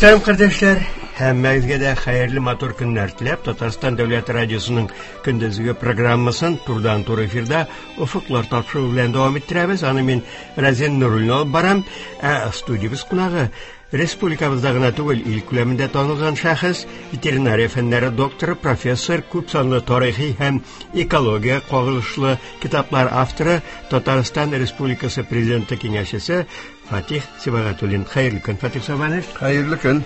Мөхтәрәм кардәшләр, һәммәгезгә дә хәерле матур көннәр теләп, Татарстан дәүләт радиосының көндезге программасын турыдан-туры эфирда Офыклар тапшыруы белән дәвам иттерәбез. Аны мин Разин Нуруллин алып барам. Ә студиябез кунагы республикабызда гына түгел, ил күләмендә танылган шәхес, ветеринария фәннәре докторы, профессор, күп санлы тарихи һәм экология кагылышлы китаплар авторы, Татарстан Республикасы Президенты киңәшчесе Фатих Сибагатуллин. Хәерле көн, Фатих Сабанович. Хәерле көн.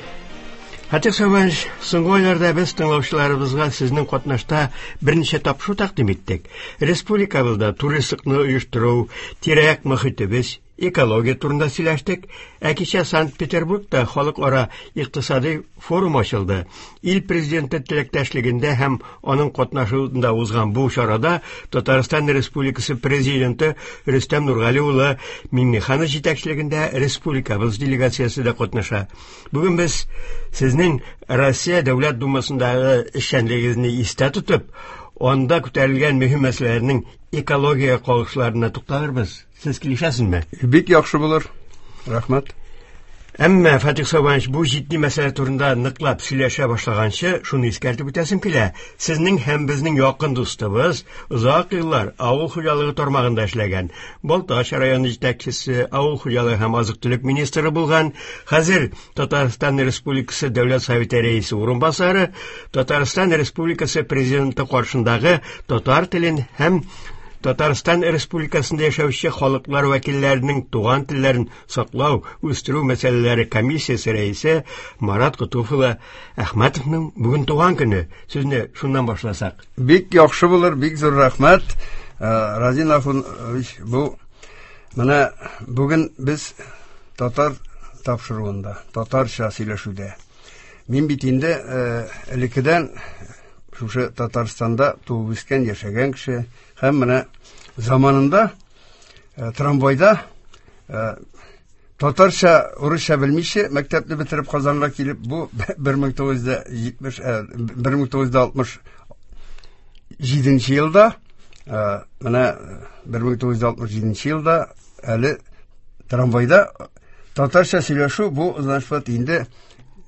Фатих Сабанович, соңгы айларда без тыңлаучыларыбызга сезнең катнашта берничә тапшыру тәкъдим иттек. Республикабызда туристлыкны оештыру, тирә-як мохитебез, экология турында сөйләштек. Ә кичә Санкт-Петербургта халыкара икътисади форум ачылды. Ил президенты теләктәшлегендә һәм аның катнашуында узган бу чарада Татарстан Республикасы президенты Рөстәм Нургали улы Миңнеханов җитәкчелегендә республикабыз делегациясе дә катнаша. Бүген без сезнең Россия Дәүләт Думасындагы эшчәнлегегезне истә тотып, анда күтәрелгән мөһим мәсьәләләрнең экология кагылышларына тукталырбыз. Сез килешәсезме? Бик яхшы булыр. Рәхмәт. Әмма, Фатих Сабанович, бу җитди мәсьәлә турында ныклап сөйләшә башлаганчы, шуны искәртеп үтәсем килә. Сезнең һәм безнең якын дустыбыз, озак еллар авыл хуҗалыгы тармагында эшләгән, Балтач районы җитәкчесе, авыл хуҗалыгы һәм азык-төлек министры булган, хәзер Татарстан Республикасы Дәүләт Советы рәисе урынбасары, Татарстан Республикасы Президенты каршындагы татар телен һәм Татарстан Республикасында яшәүче халыклар вәкилләренең туган телләрен саклау, үстерү мәсьәләләре комиссиясе рәисе Марат Котуф улы Әхмәтовның бүген туган көне. Сүзне шуннан башласак. Бик яхшы булыр, бик зур рәхмәт. Э, Разин Ахунович, бу менә бүген без татар тапшыруында, татарча сөйләшүдә. Мин бит инде э, элеккедән шушы Татарстанда туып үскән, яшәгән кеше һәм менә заманында э, трамвайда э, татарча, урысча белмичә мәктәпне бетереп Казанга килеп, бу 1970 1967 елда менә 1967 елда әле трамвайда татарча сөйләшү бу, значит, инде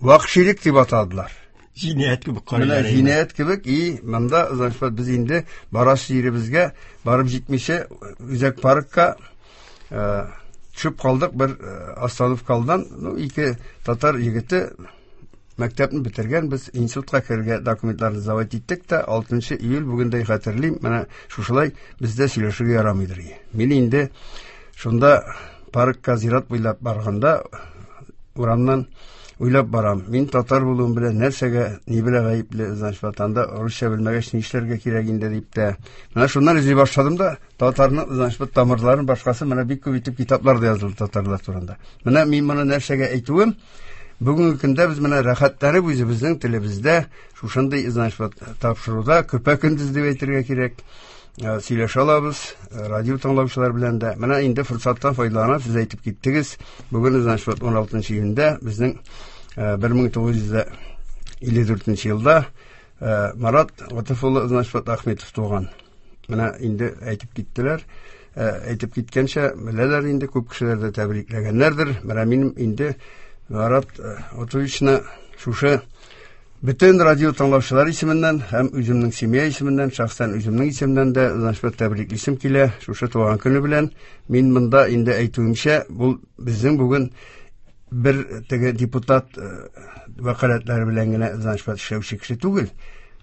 вакшилек дип атадылар. Җинаять кебек карыйлар. Менә җинаять кебек и монда, значит, без инде барасы җиребезгә барып җитмичә үзәк паркка э, төшеп калдык бер э, остановка алдан. Ну, ике татар егете мәктәпне бетергән, без институтка керергә документларны сдавать иттек тә, 6 июль бүгендәй хәтерлим, менә шушылай бездә сөйләшергә ярамыйдыр. Мин инде шунда паркка зират буйлап барганда урамнан уйлап барам. Мин татар булуым белән нәрсәгә, ни белән гаепле, значит, ватанда русча белмәгәч нишләргә кирәк инде дип тә. Менә шуннан эзли башладым да, татарның, значит, тамырларын башкасы менә бик күп итеп китаплар да язылды татарлар турында. Менә мин моны нәрсәгә әйтүем, бүгенге көндә без менә рәхәтләнеп үзебезнең телебездә шушындый, значит, тапшыруда көпә-көндез дип әйтергә кирәк. Э, сөйләшә алабыз э, радио тыңлаучылар белән дә. Менә инде форсаттан файдаланып сез әйтеп киттегез. Бүген, значит, 16 июньдә безнең 1954 э, елда Марат Гатыф улы, значит, Ахметов туган. Менә инде әйтеп киттеләр. Әйтеп киткәнчә, беләләр инде, күп кешеләр дә тәбрикләгәннәрдер. Менә минем инде Марат Гатыфовичны шушы Бөтен радио тыңлаучылар исеменнән һәм үземнең семья исеменнән, шәхсән үземнең исемнән дә, значит, тәбриклисем килә шушы туган көне белән. Мин монда инде әйтүемчә, бу безнең бүген бер теге депутат э, вәкаләтләре белән генә, значит, эшләүче кеше түгел.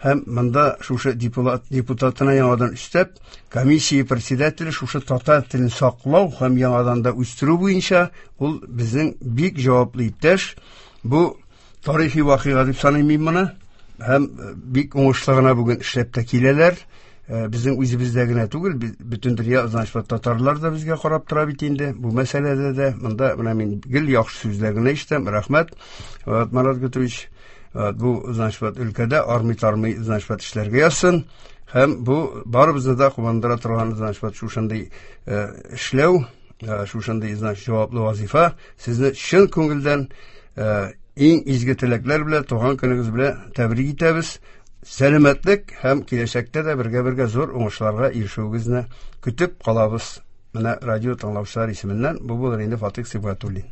Һәм монда шушы депутат, депутатына яңадан өстәп, комиссия председателе шушы татар телен саклау һәм яңадан да үстерү буенча ул безнең бик җаваплы иптәш. Бу Тарихи вакыйга дип саныйм мин моны. Һәм э, бик уңышлы гына бүген эшләп тә киләләр. Э, безнең үзебездә генә түгел, бөтен дөнья, значит, татарлар да безгә карап тора бит инде. Бу мәсьәләдә дә монда менә мин гел яхшы сүзләр генә ишетәм. Рәхмәт, вот, Марат Гутович. Вот, бу, значит, вот, өлкәдә армый-тармый, значит, вот, эшләргә язсын. Һәм бу барыбызны да куандыра торган, значит, вот, шушындый э, эшләү, Э, шушындый, значит, җаваплы вазифа. Сезне чын күңелдән э, иң изге теләкләр белән туган көнегез белән тәбрик итәбез. Сәламәтлек һәм киләчәктә дә бергә-бергә зур уңышларга ирешүегезне көтеп калабыз. Менә радио тыңлаучылар исеменнән бу булыр инде Фатих Сибгатуллин.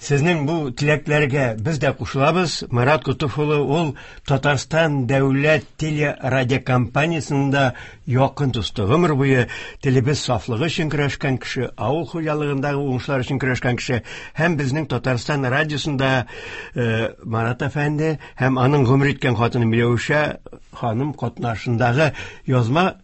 Сезнең бу теләкләргә без дә кушылабыз. Марат Котов улы ул Татарстан дәүләт телерадиокомпаниясендә якын дусты. Гомер буе телебез сафлыгы өчен көрәшкән кеше, авыл хуҗалыгындагы уңышлар өчен көрәшкән кеше һәм безнең Татарстан радиосында Марат әфәнде һәм аның гомер иткән хатыны Миләүшә ханым катнашындагы язма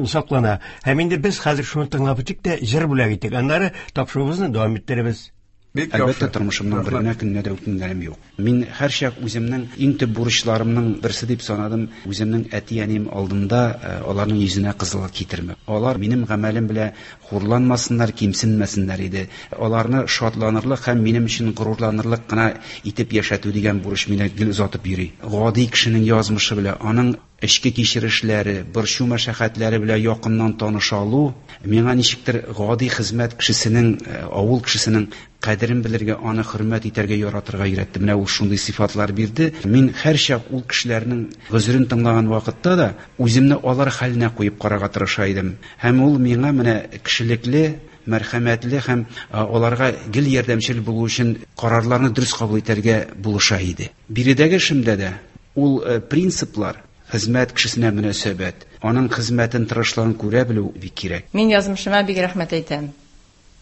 саклана. Һәм инде без хәзер шуны тыңлап үтик тә җыр бүләк итик. Аннары тапшыруыбызны дәвам иттеребез. Бик Әлбәттә, яхшы. тормышымның бер Рәхмәт. генә көненә дә үкенгәнем юк. Мин һәрчак үземнең иң төп бурычларымның берсе дип санадым, үземнең әти-әнием алдында аларның йөзенә кызыллык китермәү. Алар минем гамәлем белән хурланмасыннар, кимсенмәсеннәр иде. Аларны шатланырлык һәм минем өчен горурланырлык кына итеп яшәтү дигән бурыч мине гел озатып йөри. Гади кешенең язмышы белән, аның эчке кичерешләре, борчу мәшәкатьләре белән якыннан таныша алу миңа ничектер гади хезмәт кешесенең, авыл кешесенең кадерен белергә, аны хөрмәт итәргә, яратырга өйрәтте. Менә ул шундый сыйфатлар бирде. Мин һәрчак ул кешеләрнең гозерен тыңлаган вакытта да үземне алар хәленә куеп карарга тырыша идем. Һәм ул миңа менә кешелекле, мәрхәмәтле һәм аларга гел ярдәмчел булу өчен карарларны дөрес кабул итәргә булыша иде. Биредәге эшемдә дә ул принциплар, хезмәт кешесенә мөнәсәбәт, аның хезмәтен, тырышлыгын күрә белү бик кирәк. Мин язмышыма бик рәхмәт әйтәм.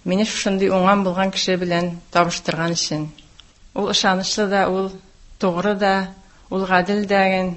Мине шушындый уңган булган кеше белән табыштырган өчен. Ул ышанычлы да, ул тугры да, ул гадел дә,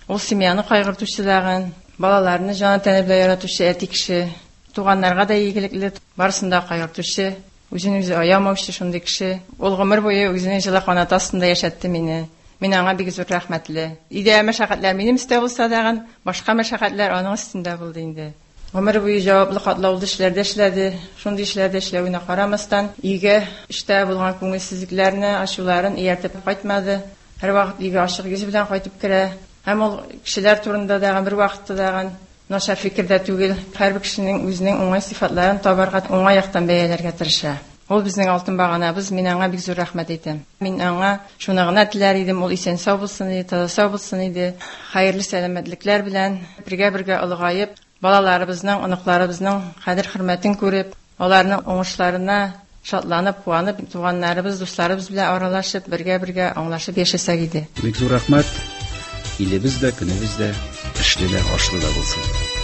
ул семьяны кайгыртучы да, балаларны җаны тәне белән яратучы әти кеше, туганнарга да игелекле, барысын да кайгыртучы, үзен үзе аямаучы шундый кеше. Ул гомер буе үзенең җылы канаты астында яшәтте мине. Мин аңа бик зур рәхмәтле. Өйдә мәшәкатьләр минем өстә булса да, башка мәшәкатьләр аның өстендә булды инде. Гомер буе җаваплы катлаулы эшләрдә эшләде. Шундый эшләрдә эшләвенә карамастан, өйгә эштә булган күңелсезлекләрне, ачуларын ияртеп кайтмады. Һәрвакыт өйгә ачык йөз белән кайтып керә. Һәм ул кешеләр турында да бер вакытта да начар фикердә түгел. Һәрбер кешенең үзенең уңай сыйфатларын табарга, уңай яктан бәяләргә тырыша. Ул безнең алтын баганабыз, мин аңа бик зур рәхмәт әйтәм. Мин аңа шуны гына теләр идем, ул исән сау булсын иде, таза сау булсын иде. Хәерле сәламәтлекләр белән бергә-бергә олыгаеп, балаларыбызның, оныкларыбызның кадер-хөрмәтен күреп, аларның уңышларына шатланып, куанып, туганнарыбыз, дусларыбыз белән аралашып, бергә-бергә аңлашып яшәсәк иде. Бик зур рәхмәт. Илебез дә, көнебез дә эшле дә, ашлы да булсын.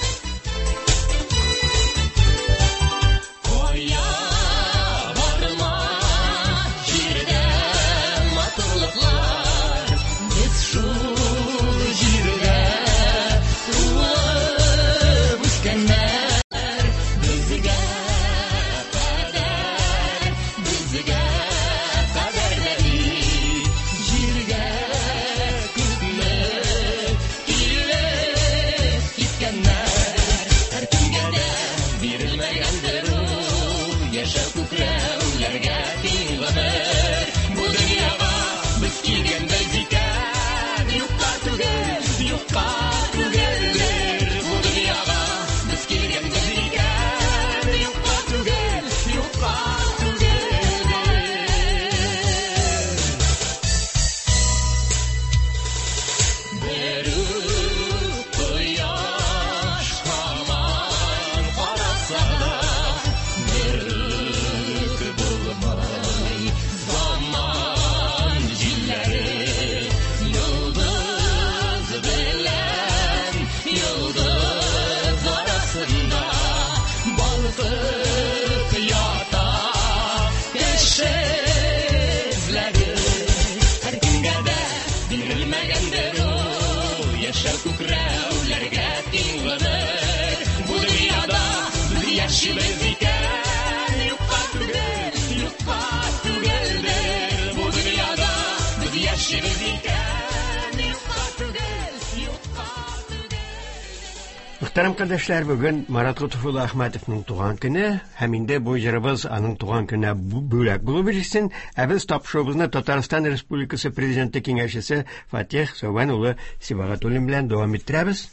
Мөхтәрәм кардәшләр, бүген Марат Готыф улы Әхмәтовның туган көне, һәм инде бу җырыбыз аның туган көненә бүләк булып ирешсен. Ә без тапшыруыбызны Татарстан Республикасы Президенты киңәшчесе Фатих Сәүбән улы Сибагатуллин белән дәвам иттерәбез.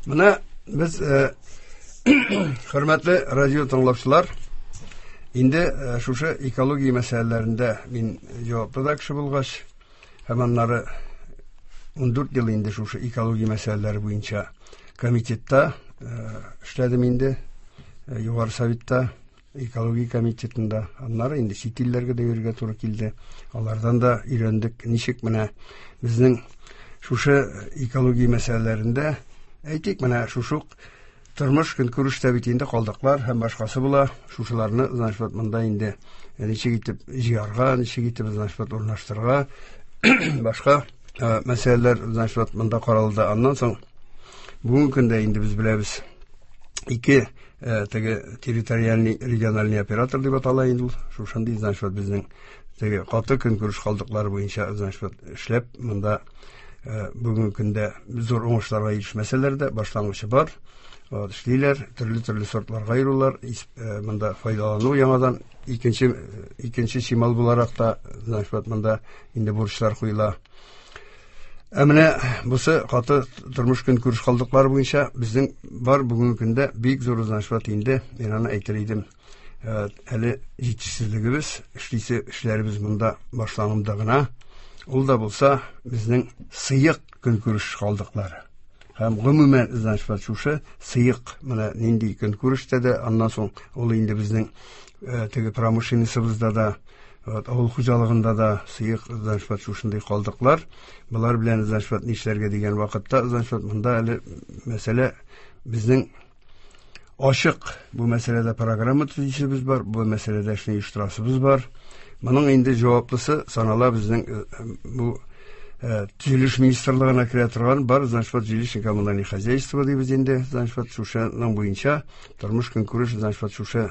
Менә без, хөрмәтле радио тыңлаучылар, инде шушы экология мәсьәләләрендә мин җаваплы да кеше булгач, һәм аннары 14 ел инде шушы экология мәсьәләләре буенча комитетта эшләдем инде, Югары Советта. Экология комитетында. Аннары инде чит илләргә дә йөрергә туры килде. Алардан да өйрәндек, ничек менә безнең шушы экология мәсьәләләрендә, әйтик, менә шушы ук тормыш көнкүрештә бит инде калдыклар һәм башкасы була. Шушыларны, значит, вот монда инде ничек итеп җыярга, ничек итеп, значит, вот урнаштырырга, башка мәсьәләләр, значит, вот монда каралды. Аннан соң бүгенге көндә инде без беләбез, ике теге территориальный региональный оператор дип атала инде ул. Шушындый, значит, вот безнең теге каты көнкүреш калдыклары буенча, значит, вот эшләп, монда бүгенге көндә зур уңышларга ирешмәсәләр дә, башлангычы бар. Вот, эшлиләр, төрле-төрле сортларга айырулар, монда файдалану яңадан икенче чимал буларак та, значит, вот монда инде бурычлар куела. Ә менә бусы каты тормыш көнкүреш калдыклары буенча безнең бар бүгенге көндә бик зур, значит, вот инде мин аны әйтер идем. Әле җитешсезлегебез, эшлисе эшләребез монда башлануында гына. Ул да булса безнең сыек көнкүреш калдыклары. Һәм гомумән, значит, вот шушы сыек менә нинди көнкүрештә дә, аннан соң ул инде безнең теге промышленностьбызда да, вот, авыл хуҗалыгында да сыек, значит, вот шушындый калдыклар. Болар белән, значит, вот нишләргә дигән вакытта, значит, вот монда әле мәсьәлә безнең ачык. Бу мәсьәләдә программа төзүчебез бар, бу мәсьәләдә эшне оештырасыбыз бар. Моның инде җаваплысы санала безнең бу төзелеш министрлыгына керә торган бар, значит, вот жилищно-коммунальное хозяйство дибез инде, значит, вот шушының буенча тормыш көнкүреш, значит, вот шушы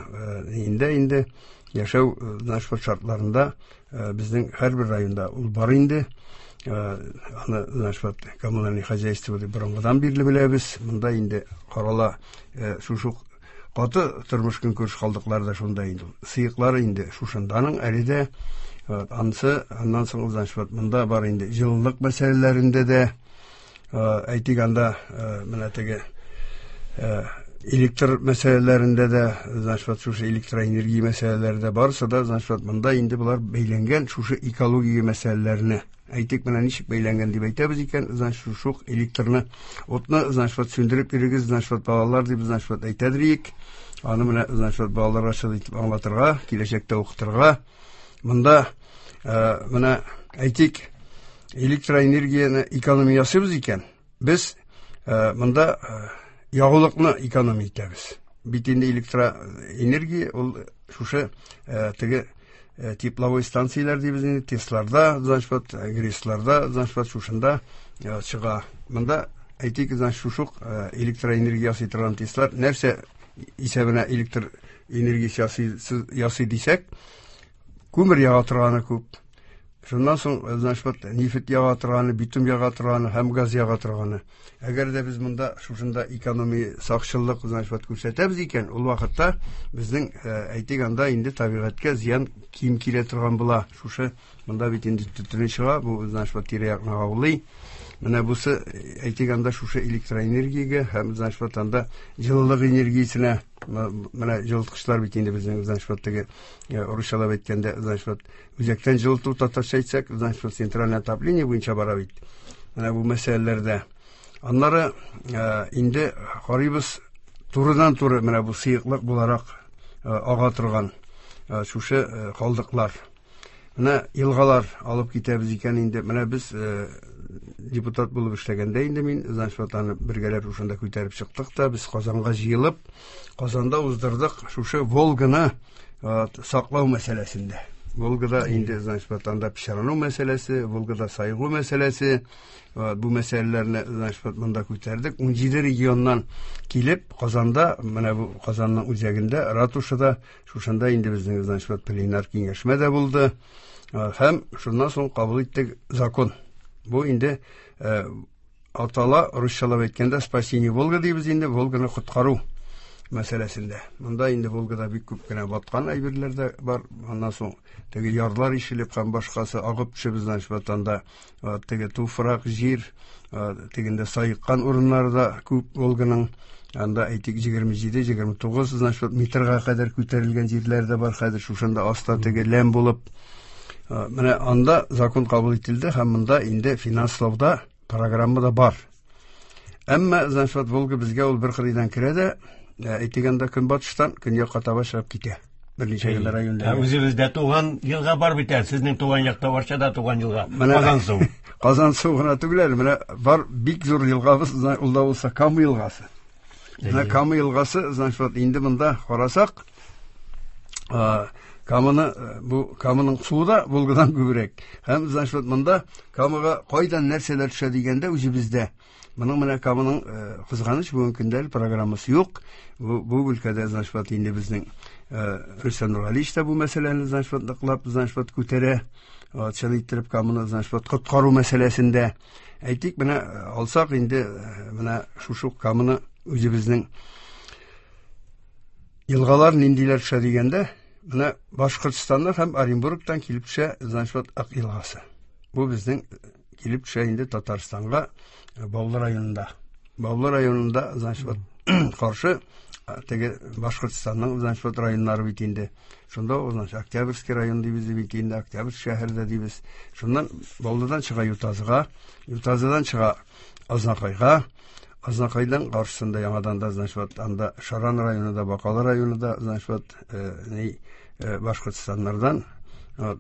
инде яшәү, значит, вот шартларында безнең һәрбер районда ул бар инде. Аны, значит, вот коммунальное хозяйство дип борынгыдан бирле беләбез. Монда инде карала шушы каты тормыш көнкүреш калдыклары да шунда инде. Сыеклары инде шушынданың әле дә. Вот, ансы, аннан соң, значит, вот монда бар инде җылылык мәсьәләләрендә дә, әйтик, анда менә теге электр мәсьәләләрендә дә, значит, вот шушы электроэнергия мәсьәләләре дә, барысы да, значит, вот монда инде болар бәйләнгән шушы экология мәсьәләләренә. Әйтик, менә ничек бәйләнгән дип әйтәбез икән, значит, шушы ук электрны, утны, значит, вот сүндереп йөрегез, значит, вот балалар дип, значит, вот әйтәдер идек. Аны менә, значит, вот балаларга шул итеп аңлатырга, киләчәктә укытырга. Монда менә әйтик, электроэнергияне экономия ясыйбыз икән, без монда ягулыкны экономия итәбез. Бит инде электроэнергия ул шушы теге тепловой станцияләр дибез инде, ТЭСларда, значит, вот, ГРЭСларда, значит, вот шушында чыга. Монда әйтик, значит, шушы ук электроэнергия ясый торган ТЭСлар нәрсә исәбенә электр энергиясе ясый дисәк, күмер яга торганы күп. Шуннан соң, значит, вот, нефть яга торганы, битум яга торганы һәм газ яга торганы. Әгәр дә без монда шушында экономия, сакчыллык, значит, вот, күрсәтәбез икән, ул вакытта безнең, әйтик, анда инде табигатькә зыян ким килә торган була. Шушы монда бит инде төтене чыга, бу, значит, вот, тирә-якны агулый. Менә бусы, әйтик, анда шушы электроэнергиягә һәм, значит, вот, анда җылылык энергиясенә, менә җылыткычлар бит инде безнең, значит, вот, теге, русчалап әйткәндә, значит, вот, үзәктән җылыту, татарча әйтсәк, значит, вот, центральное отопление буенча бара бит. Менә бу мәсьәләләрдә. Аннары инде карыйбыз турыдан-туры менә бу сыеклык буларак ага торган шушы калдыклар. Менә елгалар алып китәбез икән инде. Менә без депутат булып эшләгәндә инде мин, значит, вот аны бергәләп шушында күтәреп чыктык та, без Казанга җыелып, Казанда уздырдык шушы Волганы саклау мәсьәләсендә. Волгада инде, значит, вот анда пычрану мәсьәләсе, Волгада сайгу мәсьәләсе, бу мәсьәләләрне, значит, вот монда күтәрдек. 17 регионнан килеп, Казанда, менә бу Казанның үзәгендә, ратушада, шушында инде безнең, значит, вот пленар киңәшмә дә булды. Һәм шуннан соң кабул иттек закон. Бу инде атала, русчалап әйткәндә, спасение Волга дибез инде, Волганы коткару мәсьәләсендә. Монда инде Волгада бик күп кенә баткан әйберләр дә бар. Аннан соң теге ярлар ишелеп һәм башкасы агып төшеп, значит, вот анда теге туфрак, җир, тегендә саеккан урыннары да күп Волганың. Анда әйтик 27, 29, значит, вот метрга кадәр күтәрелгән җирләр дә бар хәзер, шушында аста теге ләм булып. Менә анда закон кабул ителде һәм монда инде финанслауда программа да бар. Әмма, значит, вот Волга безгә ул бер кырыйдан керә дә, әйтик, анда көнбатыштан көньякка таба чыгып китә. Берничә генә районда. Үзебездә туган елга бар бит әле, сезнең туган якта Арчада туган елга. Казансу. Казансу гына түгел әле, менә бар бик зур елгабыз, ул да булса Кама елгасы. Менә Кама елгасы, значит, вот инде монда карасак, Каманы, бу Каманың суы да Волгадан күбрәк. Һәм, значит, вот монда Камага кайдан нәрсәләр төшә дигәндә үзебездә. Моның менә Каманың кызганыч бүгенге көндә әле программасы юк. Бу өлкәдә, значит, вот инде безнең Рөстәм Нургалиевич та бу мәсьәләне, значит, вот ныклап, значит, вот күтәрә. Чын иттереп Каманы, значит, вот коткару мәсьәләсендә. Әйтик, менә алсак инде менә шушы Каманы үзебезнең елгалар ниндиләр төшә дигәндә, менә Башкортстаннан һәм Оренбургтан килеп төшә, значит, вот Ак елгасы. Бу безнең килеп төшә инде Татарстанга, Баулы районында. Баулы районында, значит, вот каршы теге Башкортстанның, значит, вот районнары бит инде. Шунда, значит, Октябрьский район дибез бит инде, Октябрьский шәһәрдә дибез. Шуннан Баулыдан чыга Ютазыга, Ютазыдан чыга Азнакайга, Азнакайдан каршысында яңадан да, значит, вот анда Шаран районы да, Бакалы районы да, значит, вот ни Башкортстаннардан.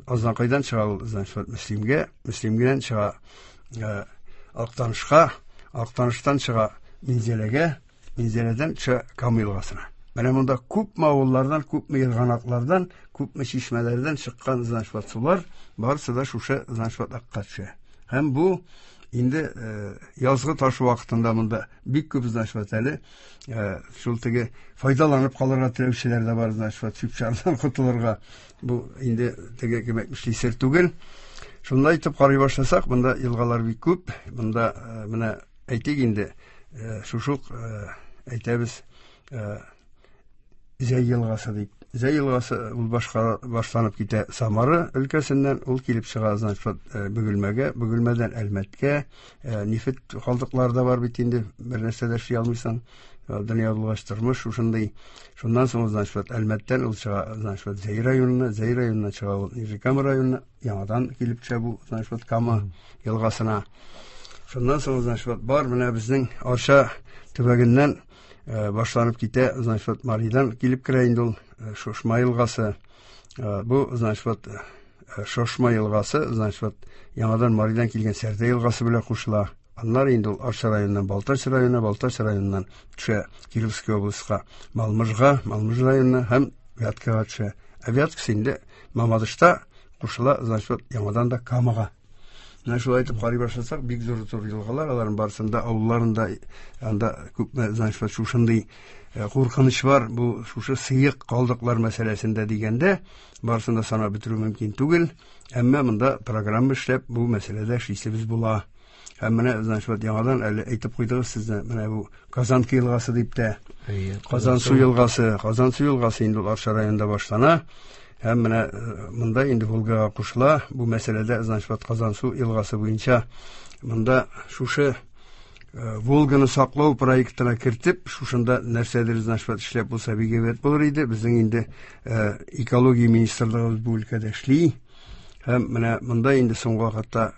Азнакайдан чыга ул, значит, вот Мөслимгә, Мөслимгәдән чыга Актанышка, Актаныштан чыга Минзәләгә, Минзәләдән төшә Кама елгасына. Менә монда күпме авыллардан, күпме ерганаклардан, күпме чишмәләрдән чыккан, значит, вот сулар, барысы да шушы, значит, вот Акка төшә. Һәм бу инде язгы ташу вакытында монда бик күп, значит, вот әле шул теге файдаланып калырга теләүчеләр дә бар, значит, вот чүп-чардан котылырга. Бу инде теге кем әйтмешли сер түгел. Шунда итеп карый башласак, монда елгалар бик күп. Монда менә әйтик инде, шушы ук әйтәбез, Зәй елгасы дип. Зәй елгасы ул башка башланып китә Самара өлкәсеннән, ул килеп чыга, значит, вот, Бөгелмәгә, Бөгелмәдән Әлмәткә, нефть калдыклары да бар бит инде, бер нәрсә дә эшли алмыйсың. Дөнья булгач тормыш шушындый. Шуннан соң, значит, вот, Әлмәттән ул чыга, значит, вот, Зәй районына, Зәй районыннан чыга ул Нижнекама районына, яңадан килеп төшә бу, значит, вот, Кама елгасына. Шуннан соң, значит, вот, бар менә безнең Арча төбәгеннән башланып китә, значит, вот, Маридан килеп керә инде ул Шошма елгасы. Бу, значит, вот, Шошма елгасы, значит, вот, яңадан Маридан килгән Сәрдә елгасы белән кушыла. Аннары инде ул Арча районыннан Балтач районына, Балтач районыннан төшә Кировский областька, Малмыжга, Малмыж районына һәм Вяткага төшә. Ә Вяткасы инде Мамадышта кушыла, значит, вот, яңадан да Камага. Менә шулай итеп карый башласак, бик зур-зур елгалар, аларның барысында авылларында анда күпме, значит, вот шушындый куркыныч бар, бу шушы сыек калдыклар мәсьәләсендә дигәндә, барысын да санап бетерү мөмкин түгел. Әмма монда программа эшләп, бу мәсьәләдә эшлисебез була. Һәм менә, значит, вот яңадан әле әйтеп куйдыгыз сезне, менә бу Казанка елгасы дип тә. Казансу елгасы, Казансу елгасы инде ул Арча районында башлана. Һәм менә монда инде Волгага кушыла. Бу мәсьәләдә, значит, вот Казансу елгасы буенча монда шушы Волганы саклау проектына кертеп, шушында нәрсәдер, значит, вот эшләп булса бик әйбәт булыр иде. Безнең инде экология министрлыгыбыз бу өлкәдә эшли. Һәм менә монда инде соңгы вакытта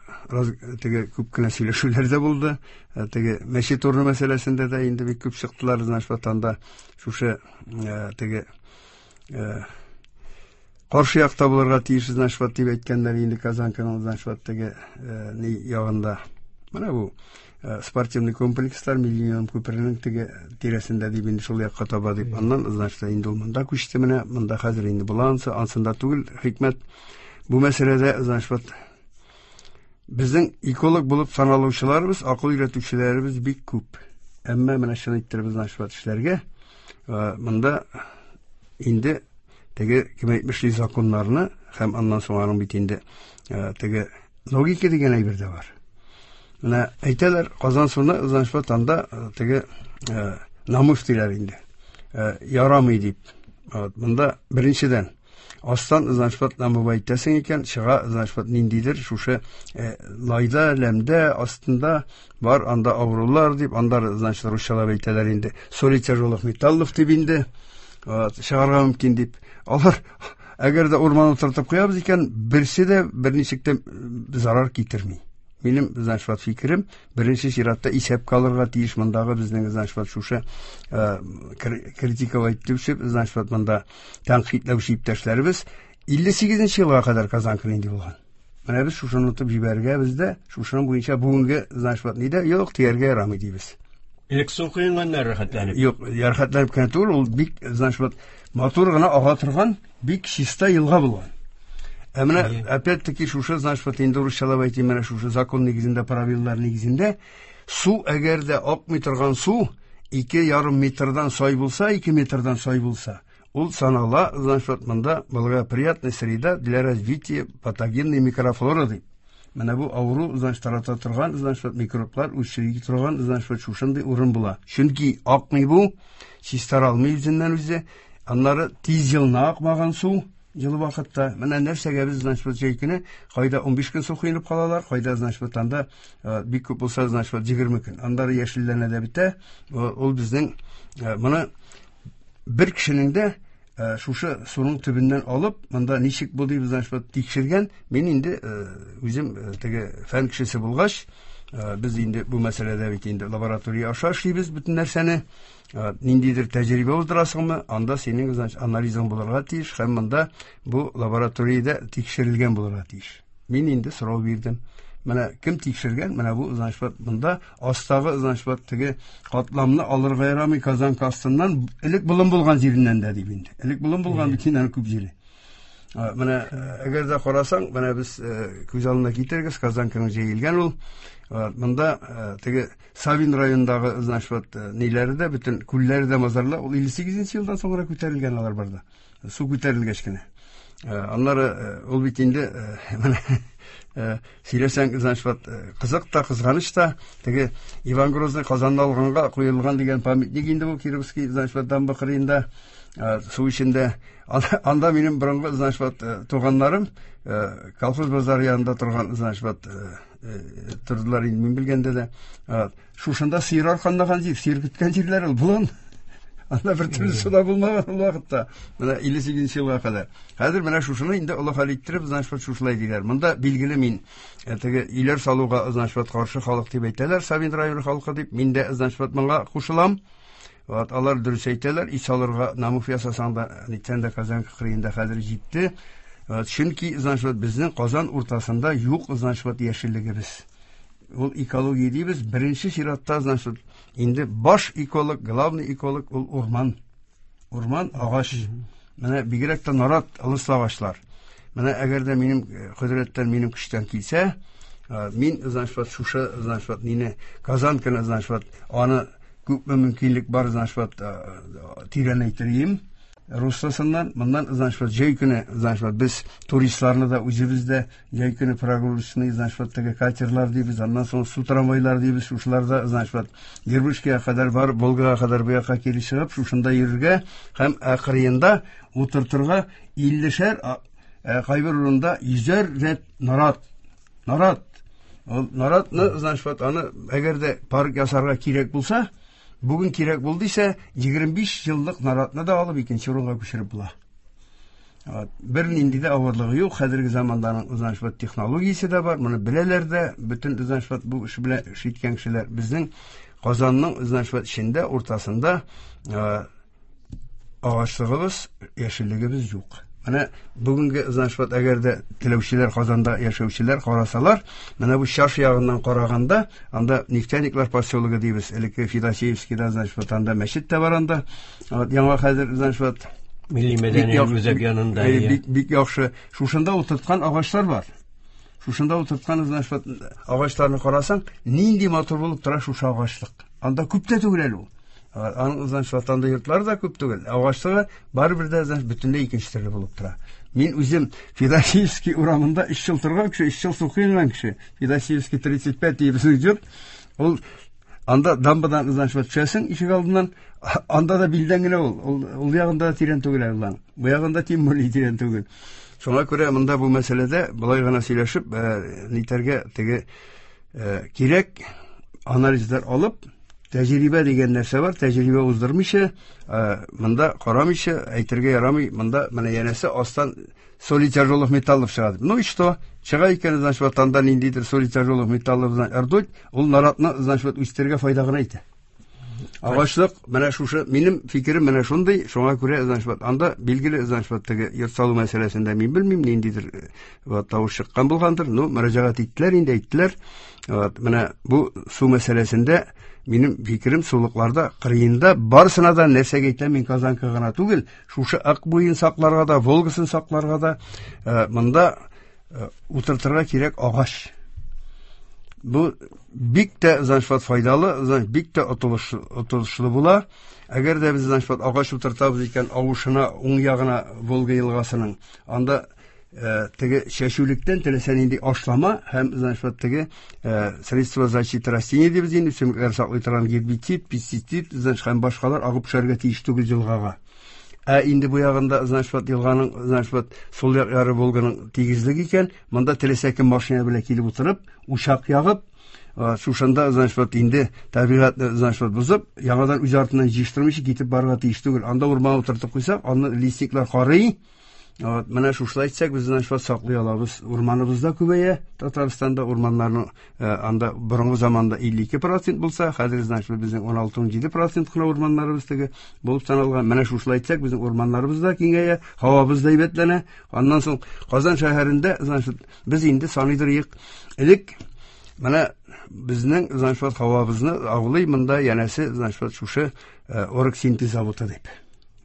теге күп кенә сөйләшүләр дә булды. Теге мәчет урыны мәсьәләсендә дә инде бик күп чыктылар, значит, вот анда шушы теге каршы якта булырга тиеш, значит, вот дип әйткәннәр инде Казанканың, значит, вот теге ни ягында. Менә бу спортивный комплекслар Миллениум күперенең теге тирәсендә дип инде шул якка таба дип. Аннан, значит, инде ул монда күчте менә, монда хәзер инде була ансы, ансында түгел, хикмәт. Бу мәсьәләдә, значит, вот безнең эколог булып саналучыларыбыз, акыл өйрәтүчеләребез бик күп. Әмма менә чын иттереп, значит, вот эшләргә, монда инде теге кем әйтмешли законнарны һәм аннан соң аның бит инде теге логика дигән әйбер дә бар. Менә әйтәләр, Казансуны, значит, вот анда теге намус диләр инде. Ярамый дип. Вот, монда беренчедән астан, значит, вот намуба әйтәсең икән, чыга, значит, вот ниндидер шушы лайда, ләмдә, астында бар анда авырулар дип, анда, значит, русчалап әйтәләр инде, соли тяжелых металлов дип инде, вот, чыгарга мөмкин дип. Алар, әгәр дә урман утыртып куябыз икән, берсе дә берничек тә зарар китерми. Минем, значит, вот фикерем, беренче чиратта исәпкә алырга тиеш мондагы безнең, значит, вот шушы критиковать итүче, значит, вот монда тәнкыйтьләүче иптәшләребез 58 елга кадәр Казанка нинди булган. Менә без шушыны онытып җибәрергә бездә, шушының буенча бүгенге, значит, вот нидә юк дияргә ярамый дибез. Элек су коенганнар рәхәтләнеп. Юк, рәхәтләнеп кенә түгел, ул бик, значит, вот матур гына ага торган, бик чиста елга булган. Ә менә опять-таки шушы, значит, вот инде русчалап әйтим, менә шушы закон нигезендә, правилалар нигезендә, су әгәр дә акмый торган су 2,5 метрдан сай булса, 2 метрдан сай булса, ул санала, значит, вот монда благоприятная среда для развития патогенной микрофлоры дип. Менә бу авыру, значит, тарата торган, значит, вот микроблар үстерә торган, значит, вот шушындый урын була. Чөнки акмый бу, чистара алмый үзеннән үзе, аннары тиз елына акмаган су, җылы вакытта. Менә нәрсәгә без, значит, вот җәй көне кайда 15 көн су коенып калалар, кайда, значит, вот анда бик күп булса, значит, вот 20 көн. Аннары яшелләнә дә бетә. Ул безнең моны бер кешенең дә шушы суның төбеннән алып, монда ничек бу дип, значит, вот тикшергән. Мин инде үзем теге фән кешесе булгач, без инде бу мәсьәләдә бит инде лаборатория аша эшлибез бөтен нәрсәне. Ниндидер тәҗрибә уздырасыңмы, анда синең, значит, анализың булырга тиеш һәм монда бу лабораториядә тикшерелгән булырга тиеш. Мин инде сорау бирдем. Менә кем тикшергән? Менә бу, значит, вот монда астагы, значит, вот теге катламны алырга ярамый Казанка астыннан, элек болын булган җиреннән дә дип инде. Элек болын булган бит инде күп җире. Менә әгәр дә карасаң, менә без күз алдына китерегез, Казанканың җәелгән ул. Монда теге Савин районындагы, значит, вот ниләре дә, бөтен күлләре дә, мазарлар, ул 58 елдан соңра күтәрелгән алар барда. Су күтәрелгәч кенә. Аннары ул бит инде менә сөйләсәң, значит, вот кызык та, кызганыч та, теге Иван Грозный Казанны алганга куелган дигән памятник инде бу Кировский, значит, вот дамба кырыенда, су эчендә. Анда минем борынгы, значит, вот туганнарым колхоз базары янында торган, значит, вот тордылар инде мин белгәндә дә. Шушында сыер арканлаган җир, сыер көткән җирләр ул болын. Анда бер төрле су да булмаган ул вакытта. Менә 58 елга кадәр. Хәзер менә шушыны инде олы хәл иттереп, значит, вот шушылай диләр. Монда билгеле мин теге өйләр салуга, значит, вот каршы халык дип әйтәләр, Савин районы халкы дип. Мин дә, значит, вот моңа кушылам. Вот алар дөрес әйтәләр, өй салырга намус ясасаң да, нитсәң дә Казанка кырыенда хәзер җитте. Вот, чөнки, значит, вот безнең Казан уртасында юк, значит, вот яшеллегебез. Ул экология дибез, беренче чиратта, значит, инде баш эколог, главный эколог ул урман. Урман, агач. Менә бигрәк тә нарат, ылыслы агачлар. Менә әгәр дә минем кодрәттән, минем көчтән килсә, мин, значит, вот шушы, значит, вот мине Казанканы, значит, вот аны күпме мөмкинлек бар, значит, вот тирәнәйтерим. Русласыннан, моннан, значит, вот җәй көне, значит, вот без туристларны да үзебез дә җәй көне прогулочный, значит, вот теге катерлар дибез, аннан соң су трамвайлар дибез, шушыларда, значит, вот Дербышкига кадәр барып, Волгага кадәр бу якка кире чыгып, шушында йөрергә һәм кырыенда утыртырга 50-шәр, кайбер урында 100-әр рәт нарат. Нарат. Ул наратны, значит, вот аны әгәр дә парк ясарга кирәк булса, бүген кирәк булды исә, 25 еллык наратны да алып икенче урынга күчереп була. Вот. Бер нинди дә авырлыгы юк. Хәзерге заманданың, значит, вот технологиясе дә бар. Моны беләләр дә. Бөтен, значит, вот бу эш белән эш иткән кешеләр. Безнең Казанның, значит, вот эчендә, уртасында агачлыгыбыз, яшеллегебез юк. Менә бүгенге, значит, вот әгәр дә теләүчеләр, Казанда яшәүчеләр карасалар, менә бу Чаш ягыннан караганда, анда Нефтяниклар поселогы дибез, элекке Федосеевскийда, значит, вот анда мәчет тә бар анда. Вот яңа хәзер, значит, вот Милли мәдәни үзәк янында, бик, бик яхшы. Шушында утырткан агачлар бар. Шушында утырткан, значит, вот агачларны карасаң, нинди матур булып тора шушы агачлык. Анда күп тә түгел әле ул. Аның, значит, вот анда йортлар да күп түгел. Агачлыгы барыбер дә, значит, бөтенләй икенче төрле булып тора. Мин үзем Федосеевский урамында 3 ел торган кеше, 3 ел су коенган кеше. Федосеевский 35 дип безнең йорт. Ул анда дамбадан, значит, вот төшәсең ишек алдыннан, анда да билдән генә ул. Ул ягында да тирән түгел әле ул. Бу ягында тем более тирән түгел. Шуңа күрә монда бу мәсьәләдә болай гына сөйләшеп, нитәргә теге кирәк анализлар алып, Тәҗрибә дигән нәрсә бар, тәҗрибә уздырмыйча, монда карамыйча әйтергә ярамый, монда менә янәсе астан соли тяжелых металлов чыга дип. Ну и что? Чыга икән, значит, вот анда ниндидер соли тяжелых металлов, значит, ртуть, ул наратны, значит, вот үстерергә файда гына итә. Агачлык, менә шушы, минем фикерем менә шундый, шуңа күрә, значит, вот анда билгеле, значит, вот теге йорт салу мәсьәләсендә мин белмим, ниндидер вот тавыш чыккан булгандыр, ну, мөрәҗәгать иттеләр инде, әйттеләр. Вот, менә бу су мәсьәләсендә минем фикерем сулыкларда, кырыенда барысына да нәрсәгә әйтәм, мин Казанка гына түгел, шушы Ык буен сакларга да, Волгасын сакларга да, монда утыртырга кирәк агач. Бу бик тә, значит, вот файдалы, значит, бик тә отылышлы була. Әгәр дә без, значит, вот агач утыртабыз икән, авышына, уң ягына Волга елгасының, анда теге чәчүлектән теләсә нинди ашлама һәм, значит, вот теге средства защиты растений дибез инде, үсемлекләр саклый торган гербицид, пестицид, значит, һәм башкалар агып төшәргә тиеш түгел елгага. Ә инде бу ягында, значит, вот елганың, значит, вот сул як яры Волганың тигезлеге икән, монда теләсә кем машина белән килеп утырып, учак ягып, шушында, значит, вот инде табигатьне, значит, вот бозып, яңадан үз артыннан җыештырмыйча китеп барырга тиеш түгел. Анда урман утыртып куйсак, аны лесниклар карый. Вот, менә шушылай әйтсәк, без, значит, вот саклый алабыз. Урманыбыз да күбәя. Татарстанда урманнарның анда борынгы заманда 52% булса, хәзер, значит, безнең 16-17% кына урманнарыбыз теге булып саналган. Менә шушылай әйтсәк, безнең урманнарыбыз да киңәя, һавабыз да әйбәтләнә. Аннан соң Казан шәһәрендә, значит, без инде саныйдыр идек. Элек менә безнең, значит, вот һавабызны агулый монда янәсе, значит, вот шушы оргсинтез заводы дип.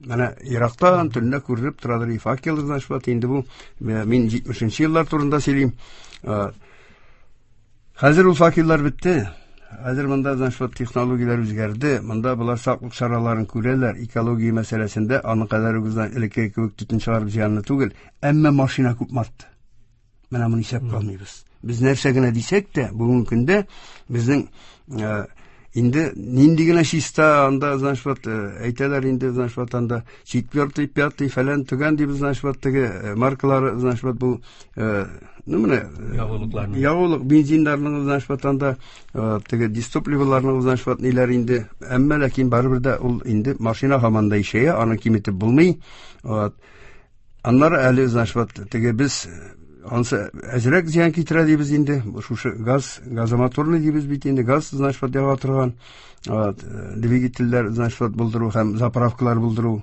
Менә ерактан төнлә күренеп торадыр и факел, значит, вот инде бу мин 70 еллар турында сөйлим. Хәзер ул факеллар бетте. Хәзер монда, значит, вот технологияләр үзгәрде. Монда болар саклык чараларын күрәләр. Экология мәсьәләсендә аның кадәр үк элеккеге кебек төтен чыгарып зыянлы түгел. Әмма машина күп артты. Менә моны исәпкә алмыйбыз. Без нәрсә генә дисәк тә, бүгенге көндә безнең инде нинди генә чиста анда, значит, вот әйтәләр инде, значит, вот анда четвертый, пятый, фәлән төгән дибез, значит, вот теге маркалары, значит, вот бу, ну менә ягулыкларның, ягулык бензиннарның, значит, вот анда теге дистопливоларның, значит, вот ниләр инде, әмма ләкин барыбер дә ул инде машина һаман да ишәя, аны киметеп булмый. Вот. Аннары әле, значит, вот теге без ансы әзрәк зыян китерә дибез инде, шушы газ, газомоторный дибез бит инде, газ, значит, вот яга торган, вот, двигательләр, значит, вот булдыру һәм заправкалар булдыру.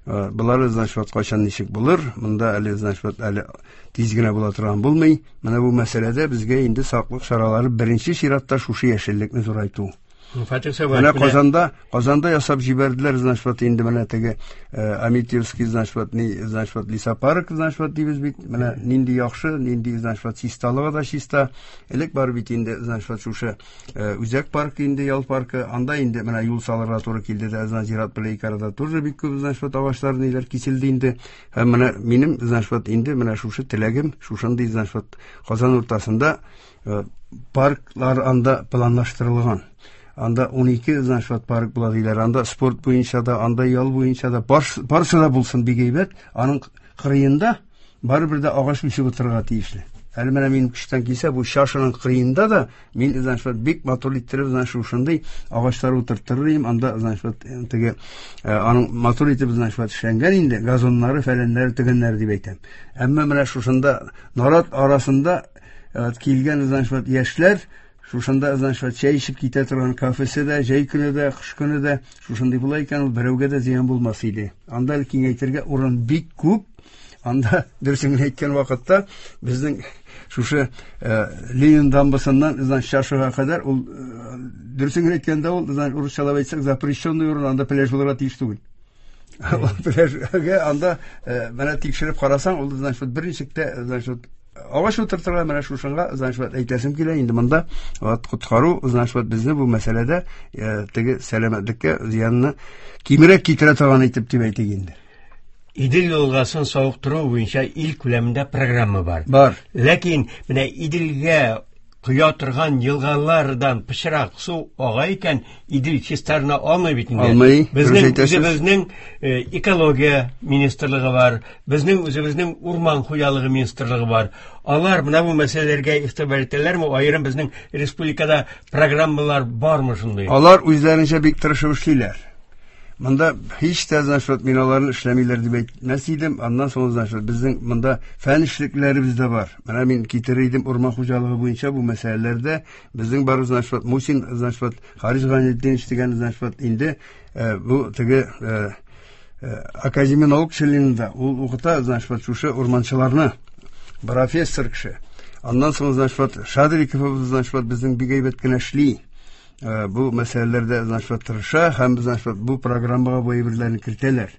Болары, значит, вот кайчан ничек булыр, монда әле, значит, вот әле тиз генә була торган булмый. Менә бу мәсьәләдә безгә инде саклык чаралары беренче чиратта шушы яшеллекне зурайту. Фатих Сабаев, Менә Казанда ясап җибәрделәр, значит, вот инде менә теге Аметьевский, значит, вот ни, значит, вот лесопарк, значит, вот дибез бит. Менә нинди яхшы, нинди, значит, вот чисталыгы да чиста. Элек бар бит инде, значит, вот шушы үзәк парк инде, ял паркы, анда инде менә юл салырга туры килде дә, значит, зират белән ике арада тоже бик күп, значит, вот агачлар ниләр киселде инде. Һәм менә минем, значит, вот инде менә шушы теләгем, шушындый, значит, вот Казан уртасында парклар анда планлаштырылган. Анда 12, значит, вот парк була диләр. Анда спорт буенча да, анда ял буенча да, барсы да булсын бик әйбәт. Аның кырыенда барыбер дә агач үсеп утырырга тиешле. Әле менә минем көчтән килсә, бу чашаның кырыенда да мин, значит, вот бик матур иттереп, значит, шушындый агачлар утыртыр идем. Анда, значит, вот теге аның матур итеп, значит, вот эшләнгән инде газоннары, фәләннәре, тегеннәре дип әйтәм. Әмма менә шушында нарат арасында килгән, значит, вот яшьләр шушында, значит, вот чәй эчеп китә торган кафесе дә, җәй көне дә, кыш көне дә шушындый була икән, ул берәүгә дә зыян булмас иде. Анда әле киңәйтергә урын бик күп. Анда, дөресен генә әйткән вакытта, безнең шушы Ленин дамбасыннан, значит, чашага кадәр, ул, дөресен генә әйткәндә, ул, значит, урысчалап әйтсәк, запрещенный урын, анда пляж булырга тиеш түгел. Ул пляжга анда менә тикшереп карасаң, ул, значит, берничек тә, значит, агач утыртырга менә шушыңа, значит, вот әйтәсем килә инде монда, вот коткару, значит, вот безне бу мәсьәләдә теге сәламәтлеккә зыянны кимрәк китерә торган итеп дип әйтик инде. Идел елгасын савыктыру буенча ил күләмендә программа бар. Бар. Ләкин менә Иделгә коя торган елгалардан пычрак су ага икән, Идел чистарына алмый бит инде. Алмый. Безнең үзебезнең экология министрлыгы бар, безнең үзебезнең урман хуҗалыгы министрлыгы бар. Алар менә бу мәсьәләләргә игътибар итәләрме? Аерым безнең республикада программалар бармы шундый? Алар үзләренчә бик тырышып эшлиләр. Монда һич тә, значит, мин аларны эшләмиләр дип әйтмәс идем. Аннан соң, значит, безнең монда фән эшлекләребез дә бар. Менә мин китерер идем урман хуҗалыгы буенча бу мәсьәләләрдә безнең бар, значит, вот, Мусин, значит, вот, Харис Гайнетдинович дигән, значит, вот, инде бу теге Академия наук членында ул укыта, значит, вот, шушы урманчыларны, профессор кеше. Аннан соң, значит, вот, Шадриковыбыз, значит, вот, безнең бик әйбәт кенә эшли. Бу мәсьәләләрдә, значит, вот, тырыша һәм, значит, вот, бу программага бу әйберләрне кертәләр.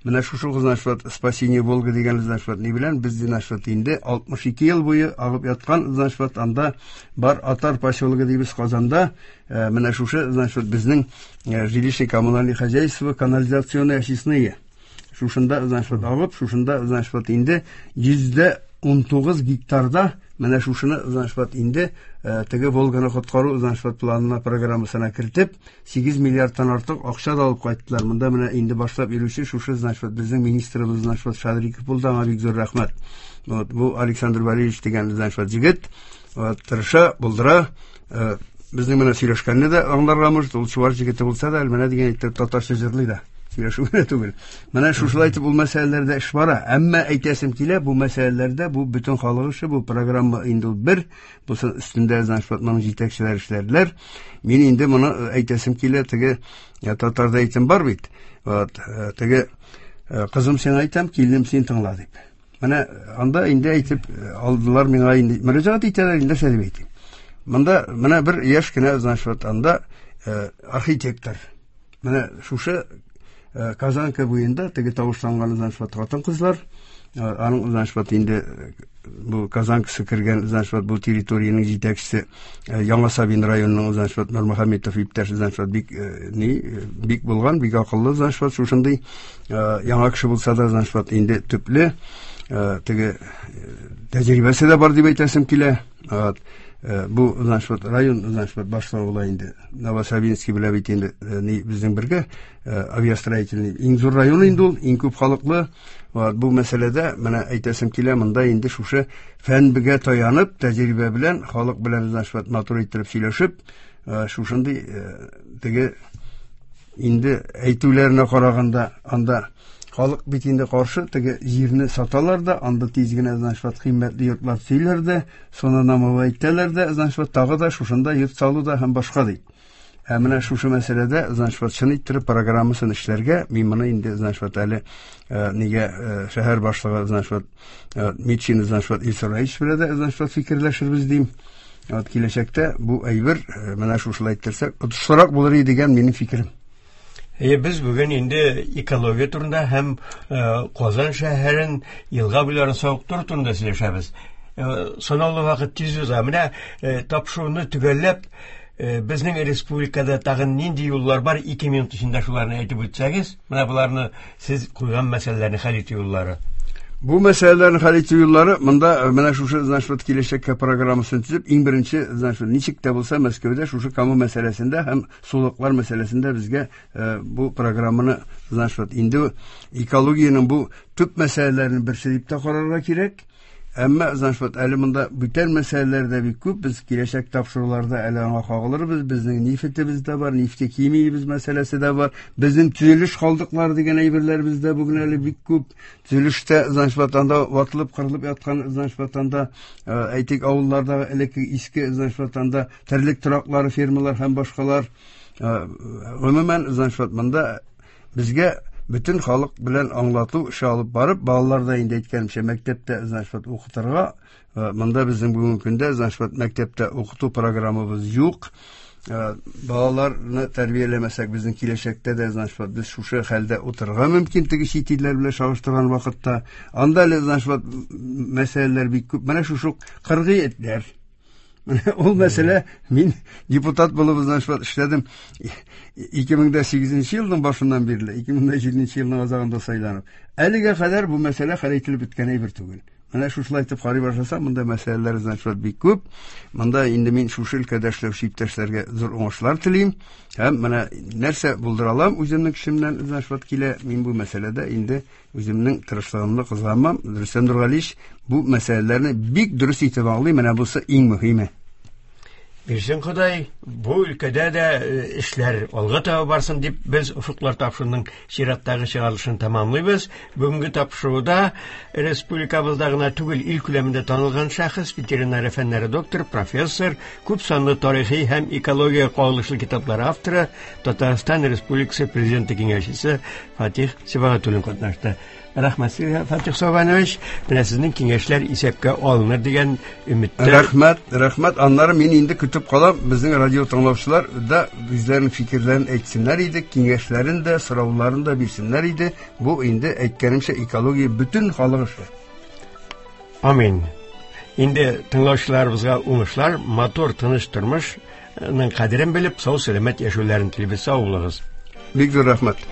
Менә шушы, значит, вот, Спасение Волга дигән, значит, вот, ни белән без, значит, вот, инде 62 ел буе агып яткан, значит, вот, анда бар Атар поселогы дибез Казанда, менә шушы, значит, вот, безнең жилищно-коммунальный хозяйство, канализационные очистные. Шушында, значит, вот, агып, шушында, значит, вот, инде 119 гектарда менә шушыны, значит, вот, инде теге Волганы коткару, значит, вот, планына, программасына кертеп, 8 миллиардтан артык акча да алып кайттылар. Монда менә инде башлап йөрүче шушы, значит, вот, безнең министрыбыз, значит, вот, Шадриков булды, аңа бик зур рәхмәт. Вот, бу Александр Валерьевич дигән, значит, вот, җегет, вот, тырыша, булдыра, безнең менә сөйләшкәнне дә аңларга может, ул чуваш җегете булса да, менә дигән итеп татарча җырлый да. Сөйләшү генә түгел. Менә шушылай итеп ул мәсьәләләрдә эш бара. Әмма әйтәсем килә, бу мәсьәләләрдә бу бөтен халык эше, бу программа инде ул бер, бусы өстендә, значит, вот, моның җитәкчеләр эшләделәр. Мин инде моны әйтәсем килә, теге татарда әйтем бар бит. Вот, теге кызым сиңа әйтәм, киленем син тыңла дип. Менә анда инде әйтеп алдылар миңа инде мөрәҗәгать итәләр инде, нәрсә дип әйтим. Монда менә бер яшь кенә, значит, вот, анда архитектор. Менә шушы Казанка буенда теге тавышланган, значит, вот, хатын-кызлар, аның, значит, вот, инде бу Казанкасы кергән, значит, вот, бу территориянең җитәкчесе Яңа Сабин районының, значит, вот, Нурмөхәммәтов иптәш, значит, вот, бик ни бик булган, бик акыллы, значит, вот, шушындый яңа кеше булса да, значит, вот, инде төпле теге тәҗрибәсе дә бар дип әйтәсем килә. Вот. Бу, значит, вот, район, значит, вот, башлыгы була инде. Новосабинский белә бит инде, ни безнең бергә авиастроительный иң зур район инде ул, иң күп халыклы. Вот, бу мәсьәләдә менә әйтәсем килә, монда инде шушы фәнгә таянып, тәҗрибә белән, халык белән, значит, вот, матур иттереп сөйләшеп, шушындый теге инде әйтүләренә караганда, анда халык бит инде каршы, теге җирне саталар да, анда тиз генә, значит, вот, кыйммәтле йортлар төзиләр дә, соны намовый әйтәләр дә, значит, вот, тагы да шушында йорт салу да һәм башка ди. Ә менә шушы мәсьәләдә, значит, вот, чын иттереп программасын эшләргә, мин моны инде, значит, вот, әле нигә шәһәр башлыгы, значит, вот, Митчин, значит, вот, Илсур Раисович белән дә, значит, вот, фикерләшербез дим. Вот киләчәктә бу әйбер менә шушылай әйттерсәк, отышлырак булыр иде дигән минем фикерем. Без бүген инде экология турында һәм Казан шәһәрен, елга буйларын савыктыру турында сөйләшәбез. Санаулы вакыт тиз уза. Менә тапшыруны төгәлләп, безнең республикада тагын нинди юллар бар? 2 минут эчендә шуларны әйтеп үтсәгез, менә боларны сез куйган мәсьәләләрне хәл итү юллары. Бу мәсьәләләрне хәл итү юллары монда менә шушы, значит, вот, киләчәккә программасын төзеп, иң беренче, значит, ничек тә булса Мәскәүдә шушы Кама мәсьәләсендә һәм сулыклар мәсьәләсендә безгә бу программаны, значит, вот, инде экологиянең бу төп мәсьәләләренең берсе дип тә карарга кирәк. Әмма, значит, вот, әле монда бүтән мәсьәләләр дә бик күп. Без киләчәк тапшыруларда әле аңа кагылырбыз. Безнең нефтебез дә бар, нефтехимиябез мәсьәләсе дә бар. Безнең төзелеш калдыклары дигән әйберләребез дә бүген әле бик күп. Төзелештә, значит, вот, анда ватылып, кырылып яткан, значит, вот, анда, әйтик, авыллардагы элекке иске, значит, вот, анда терлек тораклары, фермалар һәм башкалар. Гомумән, значит, вот, монда безгә бөтен халык белән аңлату эше алып барып, балалар да инде әйткәнемчә мәктәптә, значит, вот, укытырга. Монда безнең бүгенге көндә, значит, вот, мәктәптә укыту программабыз юк. Балаларны тәрбияләмәсәк, безнең киләчәктә дә, значит, вот, без шушы хәлдә утырырга мөмкин теге чит илләр белән чагыштырган вакытта. Анда әле, значит, вот, мәсьәләләр бик күп. Менә шушы кыргый этләр. Менә ул мәсьәлә, мин депутат булып, значит, вот, эшләдем 2008 елның башыннан бирле, 2007 елның азагында сайланып. Әлегә кадәр бу мәсьәлә хәл ителеп беткән әйбер түгел. Менә шушылай итеп карый башласам, монда мәсьәләләр, значит, бик күп. Монда инде мин шушы өлкәдә эшләүче иптәшләргә зур уңышлар телим. Һәм менә нәрсә булдыра алам үземнең көчемнән, значит, килә. Мин бу мәсьәләдә инде үземнең тырышлыгымны кызганмам. Рөстәм Нургалиевич бу мәсьәләләрне бик дөрес итеп аңлый. Менә бусы иң мөһиме. Бирсен Ходай, бу өлкәдә дә эшләр алга таба барсын дип без Офыклар тапшыруының чираттагы чыгарылышын тәмамлыйбыз. Бүгенге тапшыруда республикабызда гына түгел, ил күләмендә танылган шәхес, ветеринария фәннәре докторы, профессор, күп санлы тарихи һәм экология кагылышлы китаплар авторы, Татарстан Республикасы Президенты киңәшчесе Фатих Сибагатуллин катнашты. Рәхмәт сезгә, Фатих Сабанович. Менә сезнең киңәшләр исәпкә алыныр дигән өметтә. Рәхмәт, рәхмәт. Аннары мин инде көтеп калам, безнең радио тыңлаучылар да үзләренең фикерләрен әйтсеннәр иде, киңәшләрен дә, сорауларын да бирсеннәр иде. Бу инде әйткәнемчә экология бөтен халык эше. Амин. Инде тыңлаучыларыбызга уңышлар, матур, тыныч тормышның кадерен белеп, сау-сәламәт яшәүләрен телибез. Сау булыгыз. Бик зур рәхмәт.